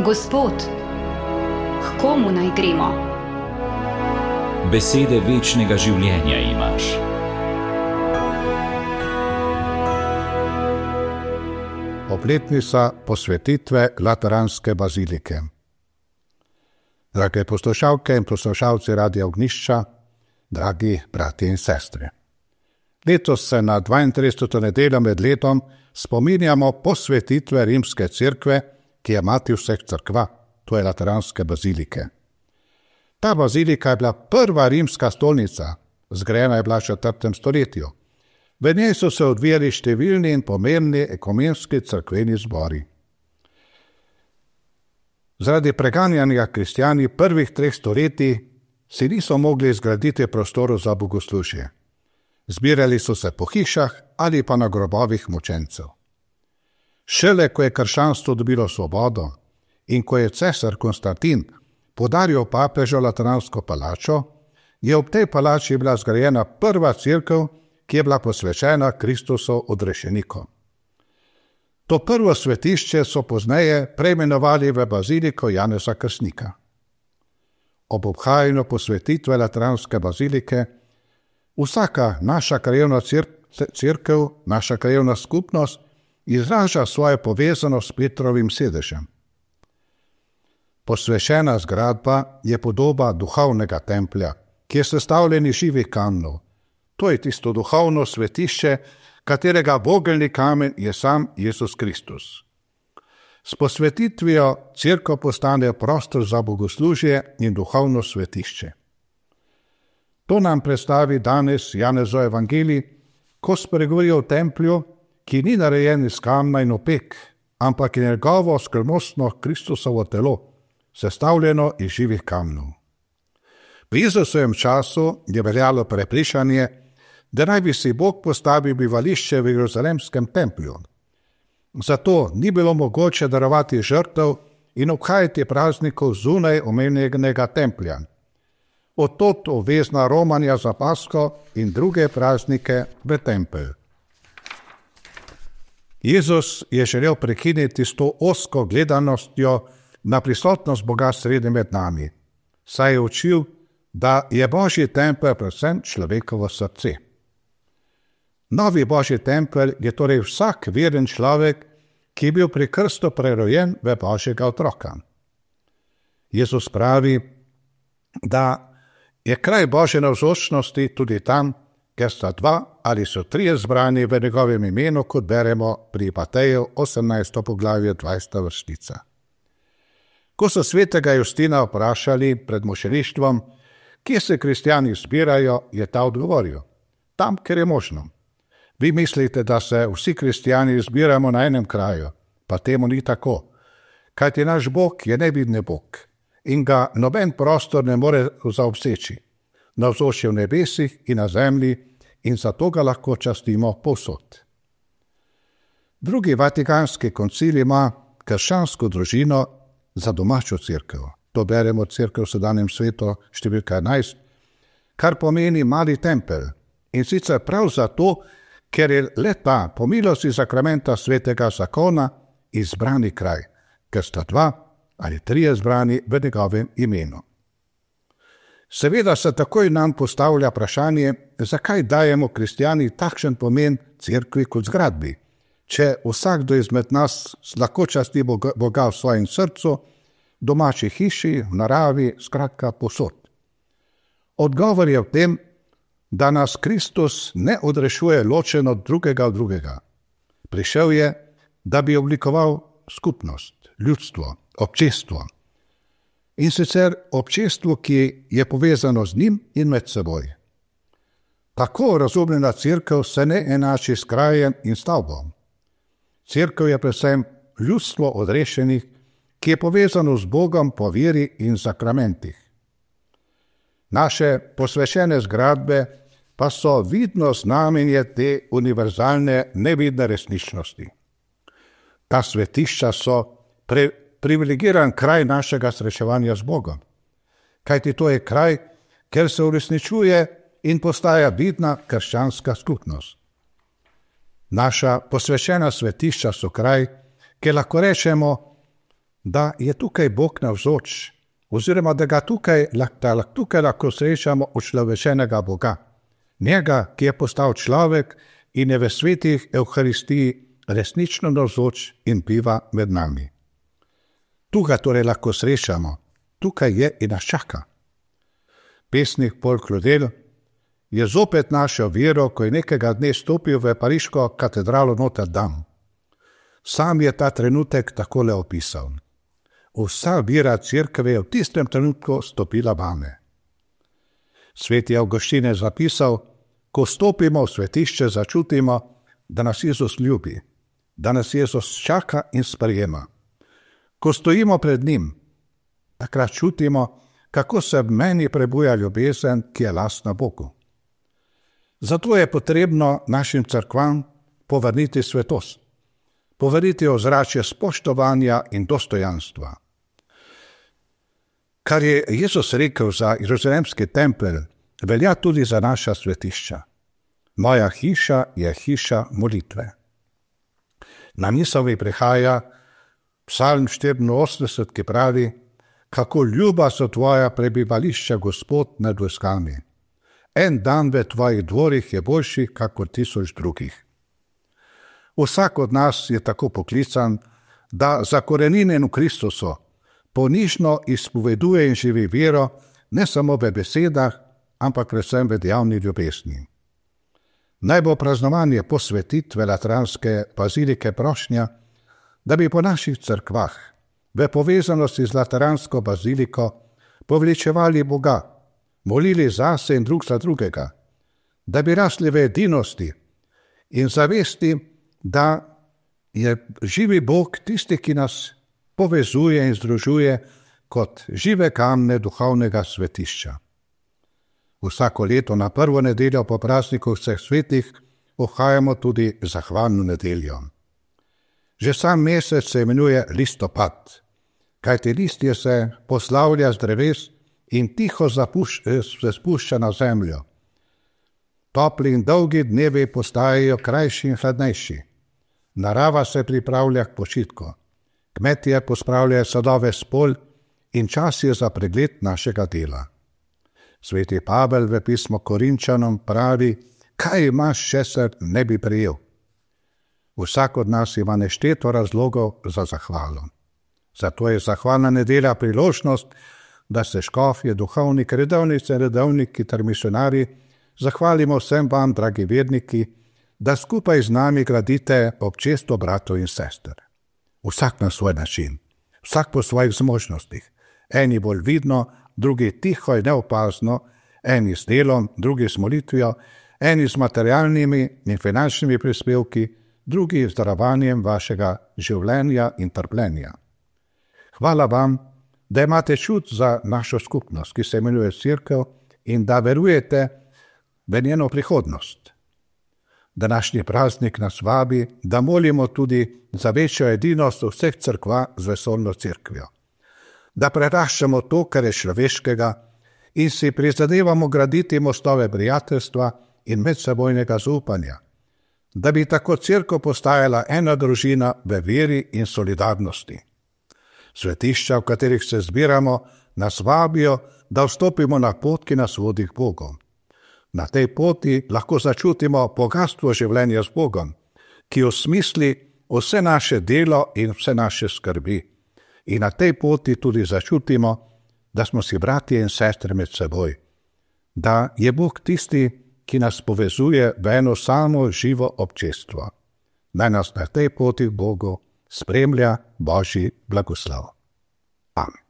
Gospod, k komu naj gremo? Besede večnega življenja imaš. Obletnica posvetitve Lateranske bazilike. Drage poslušalke in poslušalci Radia Ognjišča, dragi bratje in sestre. Letos se na 32. nedeljo med letom spominjamo posvetitve Rimske cerkve, ki je mati vseh cerkva, to je Lateranske bazilike. Ta bazilika je bila prva rimska stolnica, zgrajena je bila v 4. stoletju. V njej so se odvijali številni in pomembni ekumenski cerkveni zbori. Zaradi preganjanja kristjani prvih 3 stoletij si niso mogli zgraditi prostorov za bogoslužje. Zbirali so se po hišah ali pa na grobovih mučencev. Šele ko je krščanstvo dobilo svobodo in ko je cesar Konstantin podaril papežu Lateransko palačo, je ob tej palači bila zgrajena prva cerkev, ki je bila posvečena Kristusu odrešeniku. To prvo svetišče so pozneje preimenovali v baziliko Janeza Krstnika. Ob obhajanju posvetitve Lateranske bazilike vsaka naša krajevna cerkev, naša krajevna skupnost izraža svojo povezanost s Petrovim sedežem. Posvečena zgradba je podoba duhovnega templja, ki je sestavljen iz živih kamnov. To je tisto duhovno svetišče, katerega vogelni kamen je sam Jezus Kristus. S posvetitvijo cerkev postane prostor za bogoslužje in duhovno svetišče. To nam predstavi danes Janezov evangelij, ko spregovori o templju, ki ni narejen iz kamna in opek, ampak je njegovo skrivnostno Kristusovo telo, sestavljeno iz živih kamnov. V Jezusovem času je veljalo prepričanje, da naj bi si Bog postavil bivališče v Jeruzalemskem templju. Zato ni bilo mogoče darovati žrtev in obhajati praznikov zunaj omenjenega templja. Od tod obvezna romanja za Pasko in druge praznike v tempelj. Jezus je želel prekiniti s to ozko gledanostjo na prisotnost Boga sredi med nami, saj je učil, da je Božji tempelj predvsem človekovo srce. Novi Božji tempelj je torej vsak veren človek, ki je bil pri krstu prerojen v Božjega otroka. Jezus pravi, da je kraj Božje navzočnosti tudi tam, ker sta 2 ali so 3 zbrani v njegovem imenu, kot beremo pri Mateju 18. poglavje 20. vrstica. Ko so svetega Justina vprašali pred mučeništvom, kje se kristjani zbirajo, je ta odgovoril: tam, kjer je možno. Vi mislite, da se vsi kristjani zbiramo na enem kraju, pa temu ni tako. Kajti naš Bog je nevidni Bog in ga noben prostor ne more zaobseči. Navzoč je v nebesih in na zemlji in zato ga lahko častimo povsod. Drugi Vatikanski koncil ima krščansko družino za domačo cerkev. To beremo cerkev v sedanjem svetu številka 11, kar pomeni mali tempelj. In sicer prav zato, ker je le ta po milosti sakramenta svetega zakona izbrani kraj, ker sta 2 ali 3 zbrani v njegovem imenu. Seveda se takoj nam postavlja vprašanje, zakaj dajemo kristjani takšen pomen cerkvi kot zgradbi, če vsakdo izmed nas lahko časti Boga v svojem srcu, domači hiši, v naravi, skratka povsod. Odgovor je v tem, da nas Kristus ne odrešuje ločeno drugega od drugega. Prišel je, da bi oblikoval skupnost, ljudstvo, občestvo. In sicer občestvo, ki je povezano z njim in med seboj. Tako razumljena cerkev se ne enači s krajem in stavbom. Cerkev je predvsem ljudstvo odrešenih, ki je povezano z Bogom po veri in sakramentih. Naše posvečene zgradbe pa so vidno znamenje te univerzalne nevidne resničnosti. Ta svetišča so privilegiran kraj našega srečevanja z Bogom, kajti to je kraj, kjer se uresničuje in postaja vidna krščanska skupnost. Naša posvečena svetišča so kraj, kjer lahko rečemo, da je tukaj Bog navzoč, oziroma da ga tukaj lahko srečamo učlovečenega Boga. Njega, ki je postal človek in je v svetih Evharistiji resnično navzoč in biva med nami. Tu ga torej lahko srečamo, tukaj je in nas čaka. Pesnik Paul Claudel je zopet našel vero, ko je nekega dne stopil v pariško katedralo Notre Dame. Sam je ta trenutek takole opisal. Vsa vera cerkve je v tistem trenutku stopila vame. Sveti Avguštin je zapisal, ko stopimo v svetišče, začutimo, da nas Jezus ljubi, da nas Jezus čaka in sprejema. Ko stojimo pred njim, takrat čutimo, kako se v meni prebuja ljubezen, ki je lastna Bogu. Zato je potrebno našim cerkvam povrniti svetost, povrniti ozračje spoštovanja in dostojanstva. Kar je Jezus rekel za Jeruzalemski tempelj, velja tudi za naša svetišča. Moja hiša je hiša molitve. Na misel mi prihaja Psalm 84, ki pravi, kako ljuba so tvoja prebivališča, Gospod, nad vojskami. En dan v tvojih dvorih je boljši, kakor 1000 drugih. Vsak od nas je tako poklican, da zakorenjen v Kristusu ponižno izpoveduje in živi vero, ne samo v besedah, ampak predvsem v dejavni ljubezni. Naj bo praznovanje posvetitve Lateranske bazilike prošnja, da bi po naših cerkvah v povezanosti z Lateransko baziliko poveličevali Boga, molili zase in drug za drugega, da bi rasli v edinosti in zavesti, da je živi Bog tisti, ki nas povezuje in združuje kot žive kamne duhovnega svetišča. Vsako leto na prvo nedeljo po prazniku vseh svetih ohajamo tudi zahvalno nedeljo. Že sam mesec se imenuje listopad, kajti listje se poslavlja z dreves in tiho se spušča na zemljo. Topli in dolgi dnevi postajajo krajši in hladnejši. Narava se pripravlja k počitku. Kmetje pospravljajo sadove s polj in čas je za pregled našega dela. Sveti Pavel v pismu Korinčanom pravi, kaj imaš, česar ne bi prejel. Vsak od nas ima nešteto razlogov za zahvalo. Zato je zahvalna nedelja priložnost, da se škofje, duhovniki, redovnice, redovniki ter misionarji zahvalimo vsem vam, dragi verniki, da skupaj z nami gradite občestvo bratov in sester. Vsak na svoj način, vsak po svojih zmožnostih. Eni bolj vidno, drugi tiho in neopazno, eni s delom, drugi s molitvijo, eni s materialnimi in finančnimi prispevki, drugi z darovanjem vašega življenja in trpljenja. Hvala vam, da imate čut za našo skupnost, ki se imenuje Cerkev, in da verujete v njeno prihodnost. Današnji praznik nas vabi, da molimo tudi za večjo edinost vseh cerkva z vesoljno cerkvijo. Da preraščamo to, kar je človeškega, in si prizadevamo graditi mostove prijateljstva in medsebojnega zaupanja, da bi tako cerkev postajala ena družina v veri in solidarnosti. Svetišča, v katerih se zbiramo, nas vabijo, da vstopimo na pot, ki nas vodi k Bogu. Na tej poti lahko začutimo bogastvo življenja z Bogom, ki osmisli vse naše delo in vse naše skrbi. In na tej poti tudi začutimo, da smo si bratje in sestre med seboj, da je Bog tisti, ki nas povezuje v eno samo živo občestvo. Naj nas na tej poti k Bogu spremlja Božji blagoslov. Amen.